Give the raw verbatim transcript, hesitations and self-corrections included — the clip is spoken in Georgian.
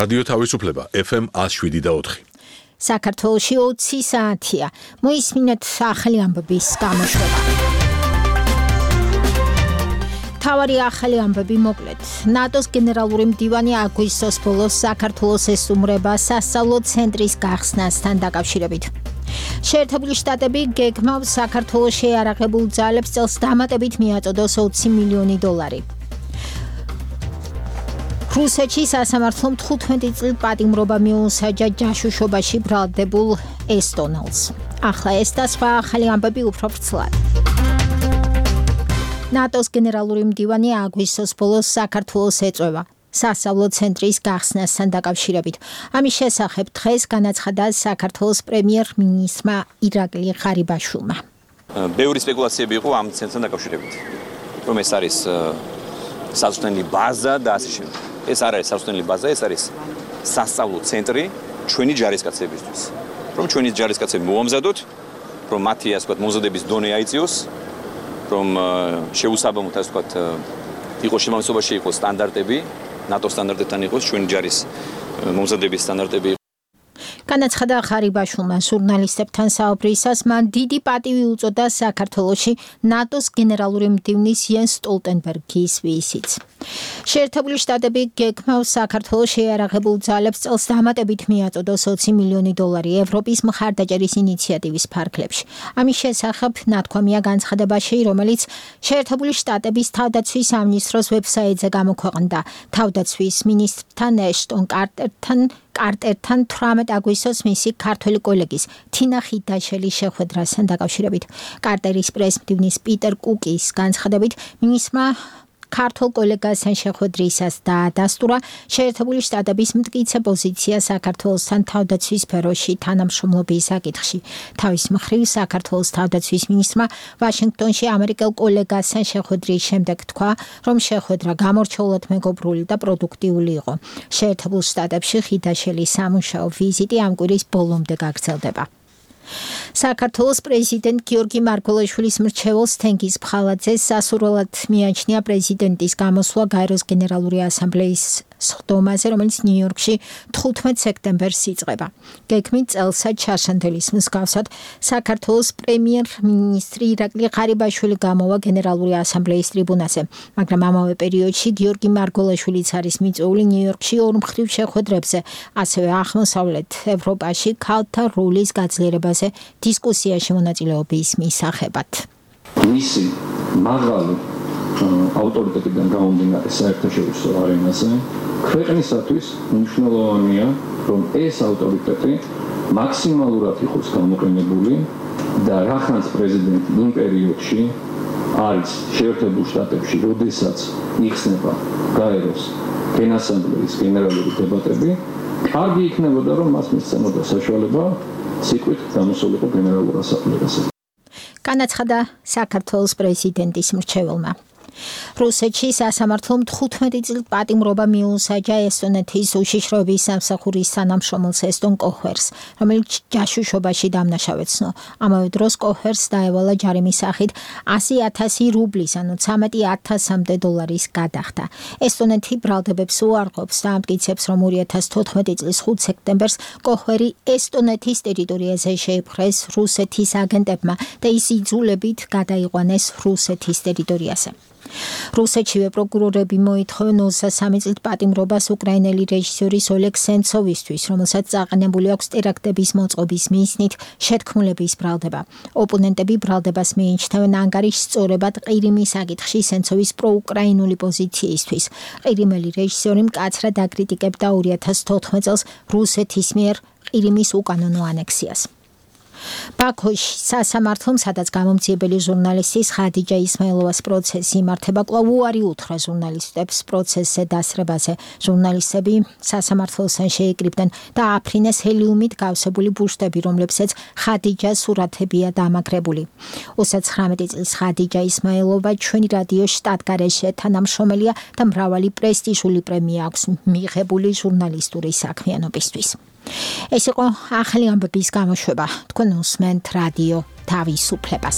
რადიო თავისუფლება ეფ ემ one oh seven და four. საქართველოში ოცი საათია. მოისმინეთ ახალი ამბების გამოშვება. თავარი ახალი ამბები მოკლედ. ნატოს გენერალური მდივანი აგვისტოს ბოლოს საქართველოს ესტუმრება სასწავლო ცენტრის გახსნასთან დაკავშირებით. შეერთებული შტატები გეგმავს საქართველოს შეიარაღებულ ძალებს წელს დამატებით მიაწოდოს ოცი მილიონი დოლარი. რუსეთში სასამართლომ თხუთმეტი წლით პატიმრობა მიუსაჯა ჯაშუშობაში ბრალდებულ ესტონელს. ახლა ეს და სხვა ახალი ამბები უფრო ვრცლად. ნატოს გენერალური მდივანი აგვისტოს ბოლოს საქართველოს ეწევა სასწავლო ცენტრის გახსნასთან დაკავშირებით. ამის შესახებ დღეს განაცხადა საქართველოს პრემიერ-მინისტრმა ირაკლი ღარიბაშვილმა. ბევრი სპეკულაციები იყო ამ ცენტრთან დაკავშირებით. რომ ეს არის სასწავლო ბაზა და ასე შემდეგ. ეს არ არის სასწავლო ბაზა, ეს არის სასწავლო ცენტრი ჩვენი ჯარისკაცებისთვის. რომ ჩვენი ჯარისკაცები მოამზადოთ, რომ მათი ასე ვთქვათ მომზადების დონე აიწიოს, რომ შეუსაბამოდ ასე ვთქვათ იყოს შემავსებაში იყოს სტანდარტები, ნატო სტანდარტებთან იყოს ჩვენი ჯარის მომზადების სტანდარტები. განაცხადა ღარიბაშვილმა ჟურნალისტებთან საუბრისას მან დიდი პატივი უწოდა საქართველოში ნატოს გენერალური მდივნის იენს სტოლტენბერგის ვიზიტს. შეერთებული შტატები გეგმავს საქართველოს შეიარაღებულ ძალებს წელს დამატებით მიაწოდოს ოცი მილიონი დოლარი ევროპის მხარდაჭერის ინიციატივის ფარგლებში. ამის შესახებ ნათქვამია განცხადებაში, რომელიც შეერთებული შტატების თავდაცვის სამინისტროს ვებსაიტზე გამოქვეყნდა. თავდაცვის მინისტრთან ეშტონ კარტერთან კარტერთან თვრამეტ აგვისტოს მისი ქართველი კოლეგის თინა ხიდაშელის შეხვედრასთან დაკავშირებით. კარტერის პრესმდივნის პიტერ კუკის განცხადებით, მინისტრმა ქართულ კოლეგასთან შეხვედრისას დაადასტურა შეერთებული შტატების მტკიცე პოზიცია საქართველოსთან თავდაცვის სფეროში თანამშრომლობის საკითხში. თავის მხრივ საქართველოს თავდაცვის მინისტრმა ვაშინგტონში ამერიკელ კოლეგასთან შეხვედრის შემდეგ თქვა, რომ შეხვედრა გამორჩეულად მეგობრული და პროდუქტიული იყო. შეერთებულ შტატებში ხიდაშელის სამუშაო ვიზიტი ამ კვირის ბოლომდე გაგრძელდება. საქართველოს პრეზიდენტ გიორგი მარგველაშვილის მრჩეველს თენგიზ ფხალაძეს სასურველად მიაჩნია პრეზიდენტის გამოსვლა გაეროს გენერალური ასამბლეის სხდომაზე, რომელიც ნიუ-იორკში თხუთმეტ სექტემბერს იწყება. გეგმით წელსად ჩარშანდელის მსგავსად საქართველოს პრემიერ-მინისტრი ირაკლი ღარიბაშვილი გამოვა გენერალური ასამბლეის ტრიბუნაზე, მაგრამ ამავე პერიოდში გიორგი მარგველაშვილიც არის მიწვეული ნიუ-იორკში ორ მხრივ შეხვედრებზე, ასევე აღმოსავლეთ ევროპაში ქალთა როლის გაძლიერებაზე დისკუსიაში მონაწილეობის მისაღებად. მისი მაღალი ავტორიტეტიდან გამომდინარე საერთაშორისო არენაზე ქვეყნისათვის მნიშვნელოვანია, რომ ეს ავტორიტეტი მაქსიმალურად იყოს გამოყენებული და რახანს პრეზიდენტი იმ პერიოდში არის შეერთებულ შტატებში, როდესაც იხსნება გაეროს გენასამბლეის გენერალური დებატები, კარგი იქნებოდა, რომ მას მისცემოდა საშუალება სიკვდით გამოსულიყო გენერალურ ასამბლეაზე. განაცხადა საქართველოს პრეზიდენტის მრჩეველმა. რუსეთში სასამართლომ თხუთმეტი წლით პატიმრობა მიუსაჯა ესტონეთის უშიშროების სამსახურის თანამშრომელს ესტონ კოჰერს, რომელიც ჯაშუშობაში დამნაშავეცნო. ამავე დროს კოჰერს დაევალა ჯარიმის სახით ასი ათასი რუბლის, ანუ ცამეტი ათასამდე დოლარის გადახდა. ესტონეთი ბრალდებებს უარყოფს და ამტკიცებს, რომ ორი ათას თოთხმეტი წლის ხუთ სექტემბერს კოჰერი ესტონეთის ტერიტორიაზე შეიპყრეს რუსეთის აგენტებმა და ის იძულებით გადაიყვანეს რუსეთის ტერიტორიაზე. რუსეთშივე პროკურორები მოითხოვენ ოცდასამი წლით პატიმრობას უკრაინელი რეჟისორის ოლეგ სენცოვისთვის, რომელსაც წაყენებული აქვს ტერაქტების მოწყობის მიზნით შეთქმულების ბრალდება. ოპონენტები ბრალდებას მიიჩნევენ ანგარიშს სწორებად ყირიმის საკითხში სენცოვის პროუკრაინული პოზიციისთვის. ყირიმელი რეჟისორი მკაცრად აკრიტიკებდა ორი ათას თოთხმეტ წელს რუსეთის მიერ ყირიმის უკანონო ანექსიას. ბაქოში სასამართლომ, სადაც გამომძიებელი ჟურნალისტის ხადიჯა ისმაილოვას პროცესი იმართება, კვლავ უარი უთხრა ჟურნალისტებს პროცესზე დასრებაზე. ჟურნალისტები სასამართლოსთან შეიკრიბნენ და აფრინეს ჰელიუმით გავსებული ბუშტები, რომლებსაც ხადიჯას სურათებია დამაგრებული. ოცდაცხრამეტი წლის ხადიჯა ისმაილოვა ჩვენი რადიო შტატგარეშე თანამშრომელია და მრავალი პრესტიჟული პრემია აქვს მიღებული ჟურნალისტური საქმიანობისთვის. ეს იყო ახალი ამბების გამოშვება. თქვენ უსმენთ რადიო თავისუფლებას.